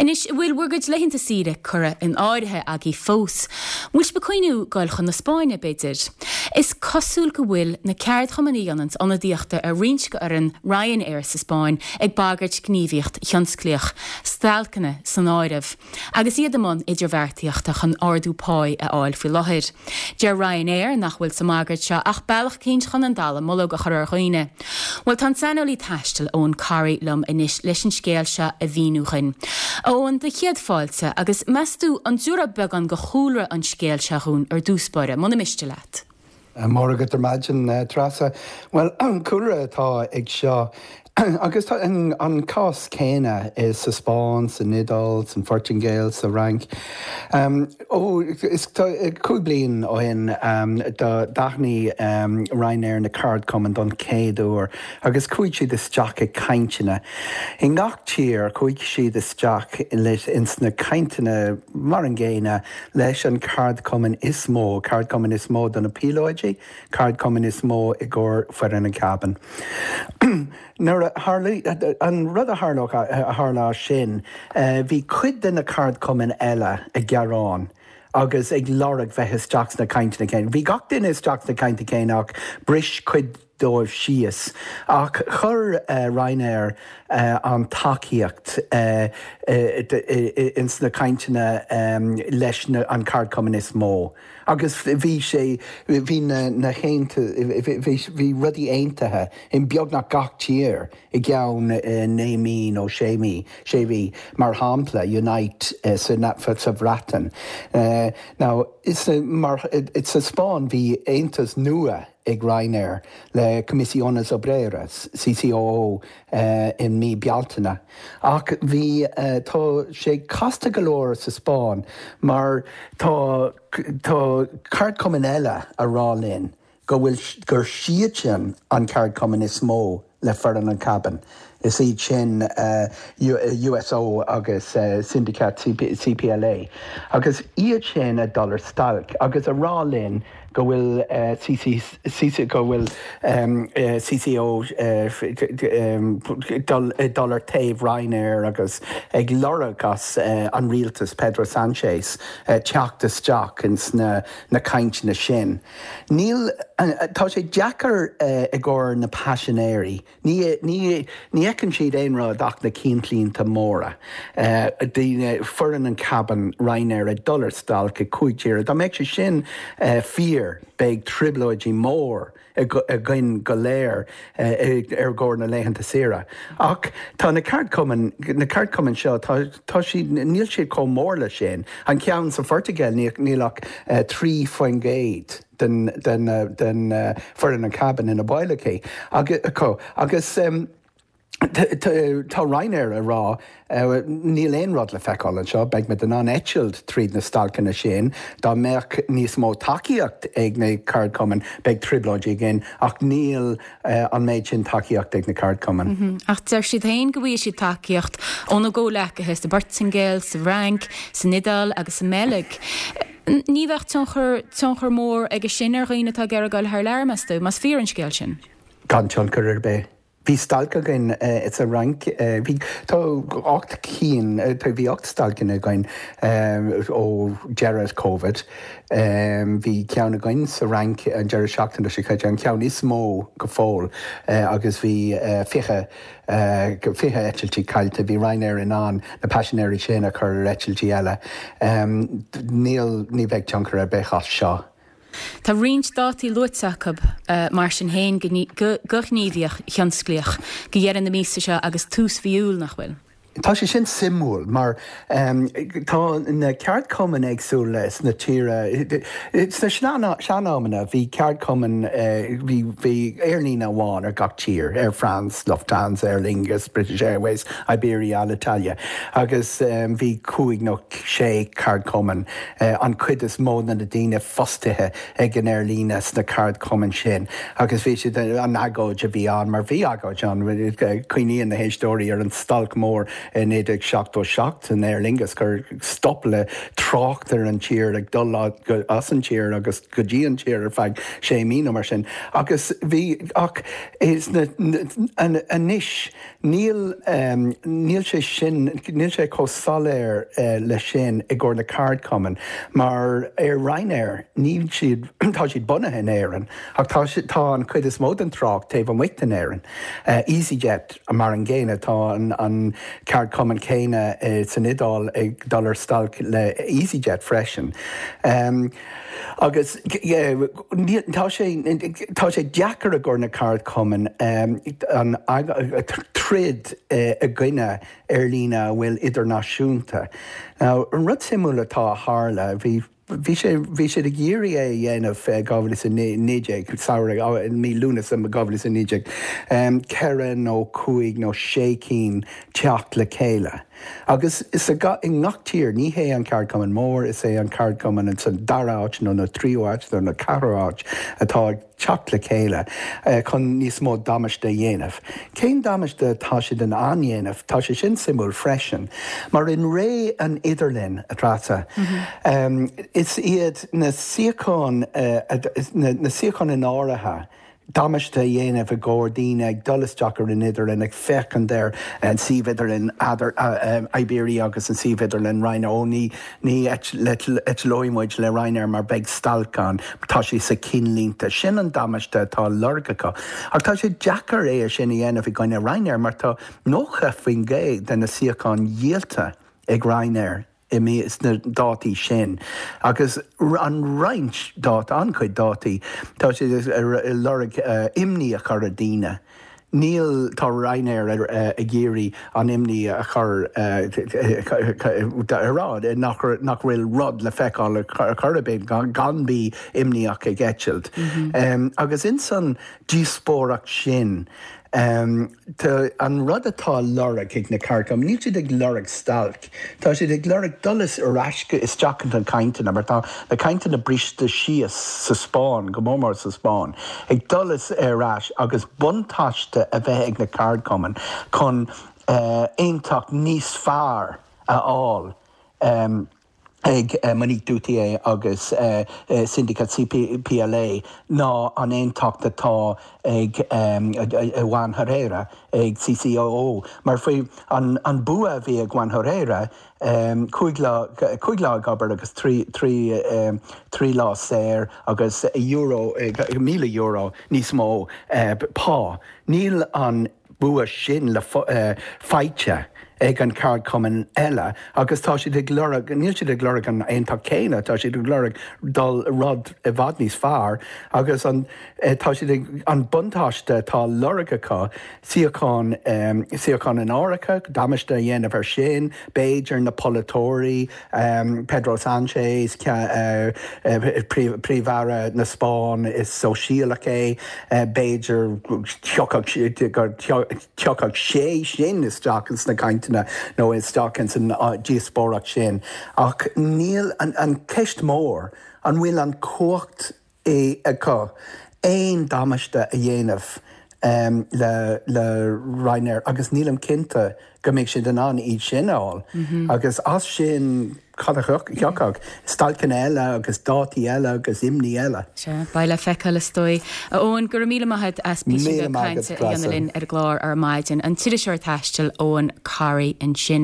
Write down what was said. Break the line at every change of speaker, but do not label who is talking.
Anois, an bhfuil bhur gcuid laethanta saoire curtha in áirithe agaibh fós? An bhfuil sibh ag cuimhniú goil chun na Spáinne, b'fhéidir? Is cosúil go bhfuil na ceardchumainn a dhéananns ionadaíochta ar roinnt de fhoireann Ryanair sa Spáinn ag bagairt gníomhaíocht thionsclaíoch, stailceanna san áireamh, agus iad i mbun idirbheartaíochta chun ardú páí a fháil faoi láthair. Deir Ryanair nach bhfuil sa mbagairt seo ach bealach eicínt chun an dallamullóg a chur ar dhaoine. Bhuel, tá an saineolaí taistil Eoin Corry liom anois leis an scéal seo a mhíniú dhuinn. A Eoin, do chéad fáilte, agus meas tú an dtabharfá beagán de chúlra an scéil seo dhúinn ar dtús báire, muna miste leat?
Móra agat ar maidin, Treasa. Bhuel, an cúlra atá ag seo, agus tá an cás céanna sa Spáinn, san Iodáil, san Phortaingéil, sa Fhrainc. Ó, is 5 bliain ó shin d'aithnigh Ryanair na ceardchumainn don chéad uair agus chuaigh siad isteach i cainteanna. I ngach tír chuaigh siad isteach ins na cainteanna mar an gcéanna leis an ceardchumann is mó, ceardchumann is mó do na píolóidí, ceardchumann is mó i gcomhair foireann an cabin. Nuair a tharla, an rud a tharlódh, a tharla as sin, bhí cuid de na ceardchumainn eile ag gearán agus ag lorg bheith isteach sna cainteanna céanna. Bhí gach duine isteach sna cainteanna céanna ach bris cuid dóibh síos. Ach chuir Ryanair an tacaíocht ins na cainteanna leis an ceardchumann is mó agus bhí sé, bhí na, na bhí rudaí aontaithe in beagnach gach tír i gceann 9 mí nó 6 mí, sé mhí, mar shampla Unite sa Bhreatain. Now, mar, sa Spáinn bhí aontas nua ag Ryanair le Comisiones Obreras, CCOO, i mí Bealtaine. Ach bhí, tá sé casta go leor sa Spáinn mar tá, tá ceardchumainn eile a rá linn go bhfuil, gur siadsan an ceardchumann is mó le foireann an cabin. Is iad sin USO agus Sindicat CPLA. Agus iad sin ag dul ar stailc agus a rá linn go bhfuil CC go bhfuil CCO ag dul ar taobh Ryanair agus ag lorg as an rialtas Pedro Sanchez teacht isteach ins na cainteanna sin. Níl, tá sé deacair i gcomhair na paisinéirí. Ní, ní, ní fheiceann siad aon rud ach na ceannlínte móra. Daoine, foireann an cabin Ryanair ag dul ar stailc i gcúig tíre. Dá mbeadh sé sin fíor, beidh trioblóidí mór againn go léir ar gcomhair na laethanta saoire. Ach tá na ceardchumainn, na ceardchumainn seo, tá, tá siad, níl siad chomh mór le sin. An ceann sa Phortaingéil, níl ach 3% den, den, den foireann an cabin ina baill aici, acu. Agus tá Ryanair ag rá, níl aon rud le feiceáil anseo, beidh muid in ann eitilt tríd na stailceanna sin. Dá mbeadh níos mó tacaíocht ag na ceardchumainn, beidh trioblóidí againn, ach níl an méid sin tacaíocht ag na ceardchumainn.
Ach deir siad féin go bhfaighidh siad tacaíocht óna gcomhleacaithe sa bPortaingéil, sa bhFrainc, san Iodáil agus sa mBeilg. Ní bheadh tionchar, tionchar mór aige sin ar dhaoine atá ag iarraidh dul thar lear, meas tú, más fíor an scéal sin?
Gan tionchar ar bith. Bhí stailc againn sa Fhrainc, bhí, tá 8 cinn, bhí 8 stailceanna againn ó deireadh Covid. Bhí ceann againn sa Fhrainc an deireadh seachtaine seo caite, an ceann is mó go fóill agus bhí 20, 20 eitiltí caillte. Bhí Ryanair in ann na paisinéirí sin a chur ar eitiltí eile. Níl, ní bheidh tionchar ar bith as seo.
Tá roinnt dátaí luaite acu mar sin féin go gníomhaíocht thionsclaíoch go dheireadh na míosa seo agus tús mhí Iúil, nach bhfuil?
Tá sé sin suimiúil mar tá na ceardchumainn éagsúla sna tíre. Sna sean-amanna bhí ceardchumann, bhí bhí aerlíne amháin ar gach tír, Air France, Lufthansa, Aer Lingus, British Airways, Iberia, Alitalia agus bhí cúig nó sé ceardchumann, an chuid is mó de na daoine fostaithe ag an aerlíne sna ceardchumainn sin agus bhí siad, an agóid a bhí ann, mar bhí agóid ann, cuimhníonn na héisteoirí ar an stailc mór. i 1977 san Aer Lingus gur stop le trácht ar an tír ag dul as an tír agus go dtí an tír ar feadh sé mí nó mar sin agus bhí ach is na anois níl níl sé sin níl sé chomh soiléir leis sin i gcomhair na ceardchumainn mar ar Ryanair níl siad tá siad bunaithe in Éirinn ach tá tá an chuid is mó den trácht taobh amuigh den Éirinn. EasyJet mar an gcéanna tá an ceardchumann céanna san Iodáil ag dul ar stailc le EasyJet freisin. Agus tá sé tá sé deacair i gcomhair na ceardchumainn an troid i gcoinne aerlíne a bhfuil idirnáisiúnta. Now an rud suimiúil atá a tharla bhí bhí sé bhí siad ag iarraidh é a dhéanamh i 2019 samhradh mí Lúnasa 2019 ceithre nó cúig nó sé cinn teacht le chéile. Agus sa i ngach tír, ní hé an ceardchumann mór, is é an ceardchumann sa dara háit nó na tríú háit nó na ceathrú háit atá ag teacht le chéile chun níos mó damáiste a dhéanamh. Cén damáiste atá siad in ann dhéanamh? Tá sé sin suimiúil freisin, mar in ré an idirlín, a Treasa, is iad na suíocháin, na suíocháin in áirithe, damáiste a dhéanamh i gcomhair daoine ag dul isteach ar an idirlíon, ag féachaint ar an suíomh idirlín Iberia agus an suíomh idirlín Ryanair. Ó ní ní eitleoidh muid le Ryanair mar beidh stailc ann, tá sé sa cinnlínte. Sin an damáiste atá á lorg acu. Ach tá sé deacair é sin a dhéanamh i gcoinne Ryanair mar tá 90% de na suíocháin dhíolta ag Ryanair. i mí sna dátaí sin agus an roinnt dáta, an-chuid dátaí, tá siad ag lorg imní a chur ar daoine. Níl, tá Ryanair ag iarraidh an imní a chur a rá nach nach bhfuil rud le feiceáil ar chor ar bith gan bí imníoch ag eitilt. Agus ins an díospóireacht sin, Tá an rud atá á lorg ag na ceardchumainn, níl siad ag lorg stailc, tá siad ag lorg dul ar ais isteach ins na cainteanna, mar tá na cainteanna briste síos sa Spáinn, go mór mór sa Spáinn, ag dul ar ais agus buntáiste a bheith ag na ceardchumainn chun aontacht níos fearr a fháil. ag Monique Duthie agus Sindicat CPLA ná an aontacht atá ag Juan Herrera ag CCOO. Mar faoi an bua a bhí ag Juan Herrera, 5 lá, 5 lá ag obair agus 3 lá saor agus euro, €1,000 níos mó pá. Níl an. bua sin le faighte ag an ceardchumann eile agus tá siad ag lorg, níl siad ag lorg an aontacht céanna, tá siad ag lorg dul rud i bhfad níos fearr agus an, tá siad ag, an buntáiste atá á lorg acu, suíocháin, suíocháin in áirithe, damáiste a dhéanamh ar sin, b'fhéidir na polaiteoirí, Pedro Sánchez, Príomh-Aire na Spáinne, is sóisialach é, b'fhéidir go dtiocfadh sé sin isteach ins na cainteanna nó isteach ins an díospóireacht sin. Ach níl, an cheist mhór, an bhfuil an chumhacht acu aon damáiste a dhéanamh le le Ryanair agus nílim cinnte go mbeidh siad in ann iad sin a fháil. Agus as sin cad a thiocfadh? Stailceanna eile agus dátaí eile agus imní eile.
Sea, beidh le feiceáil is dóigh. A Eoin, go raibh míle maith agat as píosa
Míle
beag
maith agat,
cainte a dhéanamh
Treasa.
linn ar an gclár ar maidin. An t-iriseoir taistil Eoin Corry ansin.